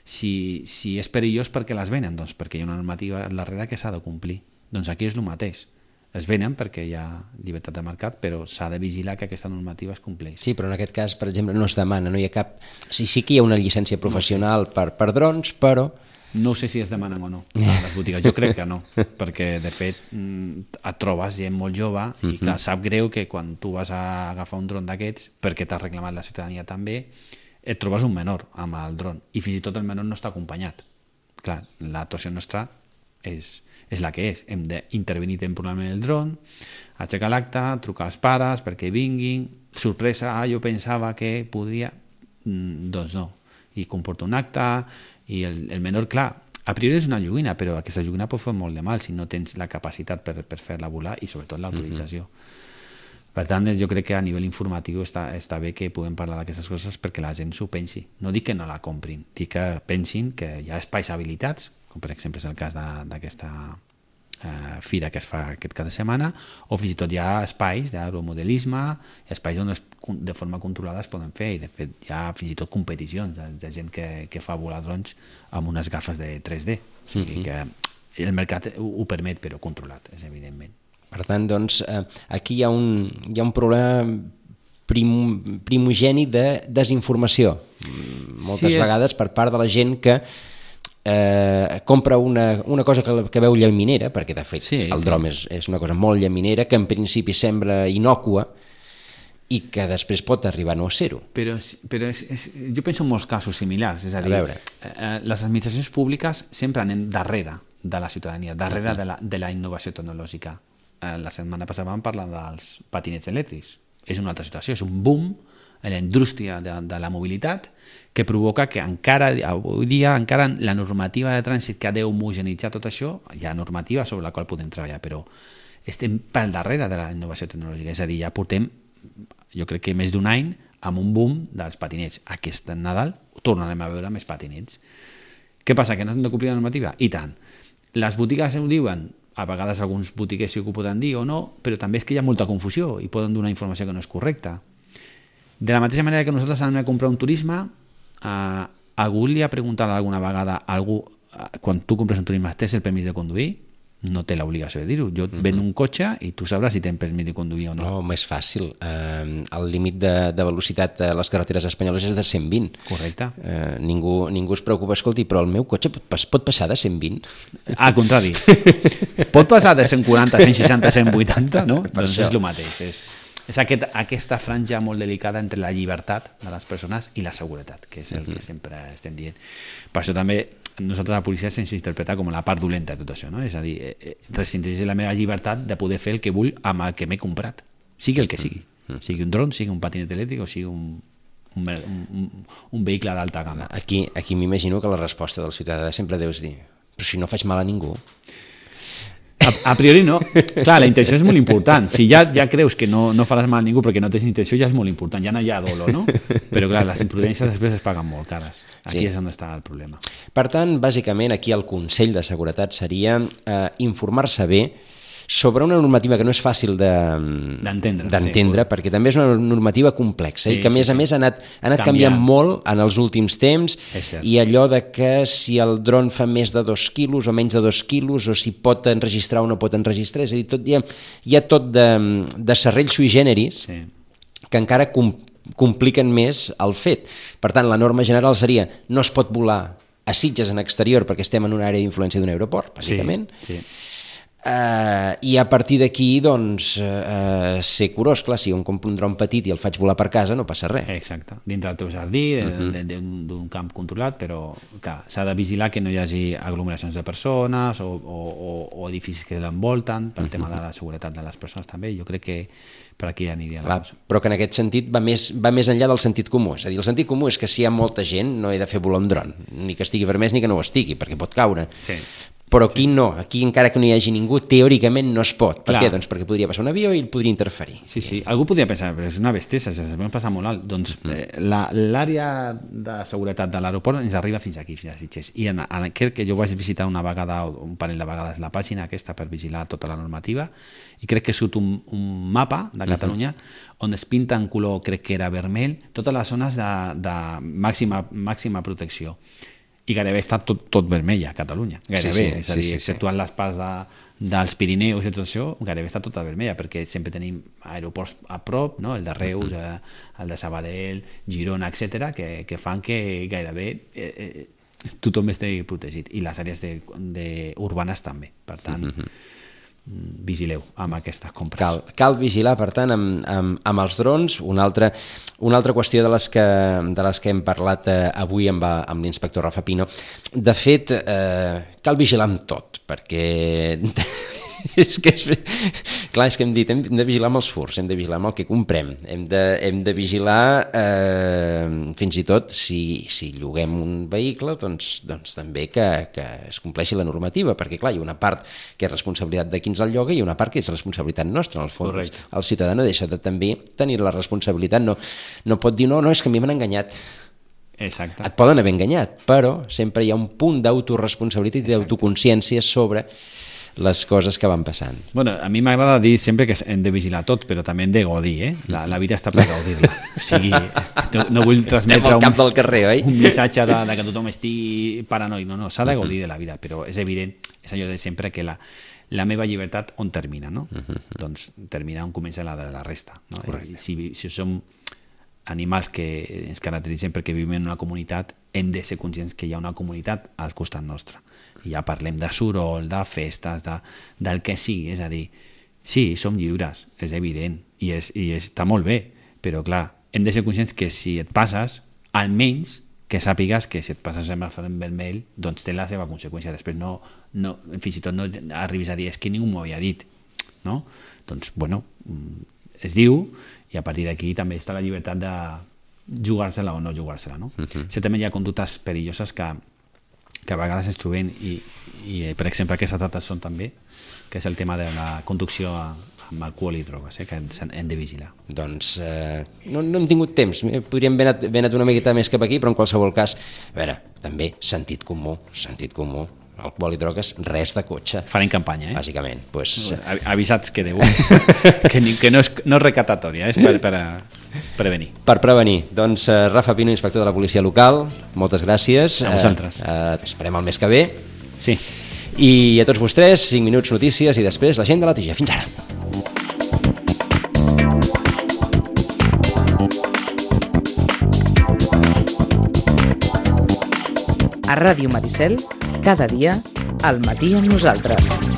Speaker 3: si és perillós, per què les venen? Doncs perquè hi ha una normativa darrere que s'ha de complir. Doncs aquí és el mateix. Es venen perquè hi ha llibertat de mercat, però s'ha de vigilar que aquesta normativa es compleix.
Speaker 2: Sí, però en aquest cas, per exemple, no es demana, no hi ha cap... Sí que hi ha una llicència professional per drons, però...
Speaker 3: No sé si es demanen o no a les botigues. Jo crec que no, perquè de fet et trobes gent molt jove i clar, sap greu que quan tu vas a agafar un dron d'aquests, perquè t'ha reclamat la ciutadania també, et trobes un menor amb el dron i fins i tot el menor no està acompanyat. Clar, l'actuació nostra és la que és. Hem d'intervenir temporalment el dron, aixecar l'acte, trucar als pares perquè vinguin, sorpresa, jo pensava que podria... Doncs no. I comporta un acte i el menor, clar, a priori és una joguina, però aquesta joguina pot fer molt de mal si no tens la capacitat per fer-la volar i sobretot l'autorització. Per tant, jo crec que a nivell informatiu està bé que puguem parlar d'aquestes coses perquè la gent s'ho pensi. No dic que no la comprin, dic que pensin que hi ha espais habilitats, com per exemple és el cas d'aquesta fira que es fa aquest cap de setmana, o fins i tot hi ha espais d'aeromodelisme, espais on de forma controlada es poden fer, i de fet hi ha fins i tot competicions de gent que fa volar drons amb unes gafes de 3D. O sigui que el mercat ho permet, però controlat, és evidentment.
Speaker 2: Per tant, doncs, aquí hi ha un problema primogeni de desinformació. Moltes vegades per part de la gent que compra una cosa que veu llaminera, perquè de fet el dron és una cosa molt llaminera, que en principi sembla innòcua i que després pot arribar a no ser-ho.
Speaker 3: Però jo penso en molts casos similars, és a dir, les administracions públiques sempre anem darrere de la ciutadania, darrere de la innovació tecnològica. la setmana passada vam parlar dels patinets elèctrics. És una altra situació, és un boom en la indústria de la mobilitat que provoca que encara, avui dia, encara la normativa de trànsit que ha d'homogenitzar tot això, hi ha normativa sobre la qual podem treballar, però estem pel darrere de la innovació tecnològica, és a dir, ja portem, jo crec que més d'un any, amb un boom dels patinets. Aquest Nadal tornarem a veure més patinets. Què passa, que no hem de complir la normativa? I tant. Les botigues ho diuen, a vegades alguns botiguers sí que ho poden dir o no, però també és que hi ha molta confusió i poden donar informació que no és correcta. De la mateixa manera que nosaltres anem a comprar un turisme, algú li ha preguntat alguna vegada a algú, quan tu compres un turisme, tens el permís de conduir? No té l'obligació de dir-ho. Jo et vendo un cotxe i tu sabràs si tens permís de conduir o no.
Speaker 2: No, més fàcil. El límit de velocitat a les carreteres espanyoles és de 120.
Speaker 3: Correcte.
Speaker 2: Ningú es preocupa, escolti, però el meu cotxe pot passar de 120?
Speaker 3: Al contrari. Pot passar de 140, 160, 180, no? Doncs és el mateix. És aquesta franja molt delicada entre la llibertat de les persones i la seguretat, que és el que sempre estem dient. Per això també nosaltres a la policia se'ns interpreta com la part dolenta de tot això, no? És a dir, restringeix la meva llibertat de poder fer el que vull amb el que m'he comprat, sigui el que sigui. Sigui un dron, sigui un patinet elèctric o sigui un vehicle d'alta gamma.
Speaker 2: Aquí m'imagino que la resposta del ciutadà sempre deus dir, però si no faig mal a ningú.
Speaker 3: A priori no. Clar, la intenció és molt important. Si ja creus que no faràs mal a ningú perquè no tens intenció, ja és molt important. Ja no hi ha dolo, no? Però clar, les imprudències després es paguen molt cares. Aquí és on està el problema.
Speaker 2: Per tant, bàsicament, aquí el consell de seguretat seria informar-se bé sobre una normativa que no és fàcil d'entendre, perquè també és una normativa complexa i que a més ha anat canviant molt en els últims temps, i allò de que si el dron fa més de 2 quilos o menys de 2 quilos, o si pot enregistrar o no pot enregistrar, és a dir, hi ha tot de serrells sui generis que encara compliquen més el fet. Per tant, la norma general seria no es pot volar a Sitges en exterior perquè estem en una àrea d'influència d'un aeroport, bàsicament. I a partir d'aquí, doncs, ser curós. Clar, si jo em compro un dron petit i el faig volar per casa, no passa res.
Speaker 3: Exacte, dintre del teu jardí, d'un camp controlat, però clar, s'ha de vigilar que no hi hagi aglomeracions de persones o edificis que l'envolten, pel tema de la seguretat de les persones també. Jo crec que per aquí aniria la cosa.
Speaker 2: Però que en aquest sentit va més enllà del sentit comú. És a dir, el sentit comú és que si hi ha molta gent no he de fer volar un dron, ni que estigui vermès ni que no ho estigui, perquè pot caure. Però aquí no, aquí encara que no hi hagi ningú, teòricament no es pot. Per què? Doncs perquè podria passar un avió i el podria interferir.
Speaker 3: Sí, algú podria pensar, però és una bestiesa, ens passa molt alt. Doncs l'àrea de seguretat de l'aeroport ens arriba fins aquí, fins a Sitges. I crec que jo vaig visitar una vegada, un parell de vegades, la pàgina aquesta per vigilar tota la normativa, i crec que surt un mapa de Catalunya on es pinta en color, crec que era vermell, totes les zones de màxima protecció. I gairebé està tot vermell a Catalunya, gairebé, és a dir, exceptuant les parts dels Pirineus i tot això, gairebé està tota vermella, perquè sempre tenim aeroports a prop, no? El de Reus, el de Sabadell, Girona, etc., que fan que gairebé tothom estigui protegit, i les àrees urbanes també, per tant vigileu amb aquestes compres.
Speaker 2: Cal vigilar, per tant, amb els drons. Una altra qüestió de les que hem parlat avui amb l'inspector Rafa Pino. De fet, cal vigilar amb tot, perquè és que hem dit, hem de vigilar amb els furs, hem de vigilar amb el que comprem, hem de vigilar fins i tot si lloguem un vehicle, doncs també que es compleixi la normativa, perquè clar, hi ha una part que és responsabilitat de qui ens el lloga i una part que és responsabilitat nostra. En el fons, el ciutadà no deixa de també tenir la responsabilitat, no pot dir no, és que a mi m'han enganyat.
Speaker 3: Exacte.
Speaker 2: Et poden haver enganyat, però sempre hi ha un punt d'autoresponsabilitat i d'autoconsciència sobre les coses que van passant.
Speaker 3: Bueno, a mi m'agrada dir sempre que hem de vigilar tot, però també hem de gaudir, La vida està per gaudir-la. O sigui, no vull transmetre un missatge de que tothom estigui paranoic. No, s'ha de gaudir de la vida, però és evident, és allò de sempre que la meva llibertat on termina, no? Doncs termina on comença la de la resta. Si som animals que ens caracteritzen perquè vivim en una comunitat, hem de ser conscients que hi ha una comunitat al costat nostre. I ja parlem de soroll, de festes, del que sigui. És a dir, sí, som lliures, és evident, i està molt bé, però clar, hem de ser conscients que si et passes, almenys que sàpigues que si et passes amb el front vermell, doncs té la seva conseqüència. Després fins i tot no arribis a dir és que ningú m'ho havia dit. no? Doncs, bueno, es diu, i a partir d'aquí també està la llibertat de jugar-se-la o no jugar-se-la, no? Certament hi ha conductes perilloses que a vegades ens trobem i per exemple, aquestes dates són també, que és el tema de la conducció amb alcohol i drogues, que hem de vigilar.
Speaker 2: Doncs no hem tingut temps, podríem haver anat una miqueta més cap aquí, però en qualsevol cas, a veure, també sentit comú, alcohol i drogues, res de cotxe.
Speaker 3: Farem campanya,
Speaker 2: bàsicament. Pues...
Speaker 3: Avisats que deu, que no és recaptatòria, és per prevenir.
Speaker 2: Per prevenir. Doncs Rafa Pino, inspector de la policia local, moltes gràcies.
Speaker 3: A vosaltres.
Speaker 2: Esperem el mes que ve.
Speaker 3: Sí.
Speaker 2: I a tots vostès, 5 minuts notícies i després la gent de la tija. Fins ara.
Speaker 1: A Ràdio Maricel, cada dia, al matí amb nosaltres.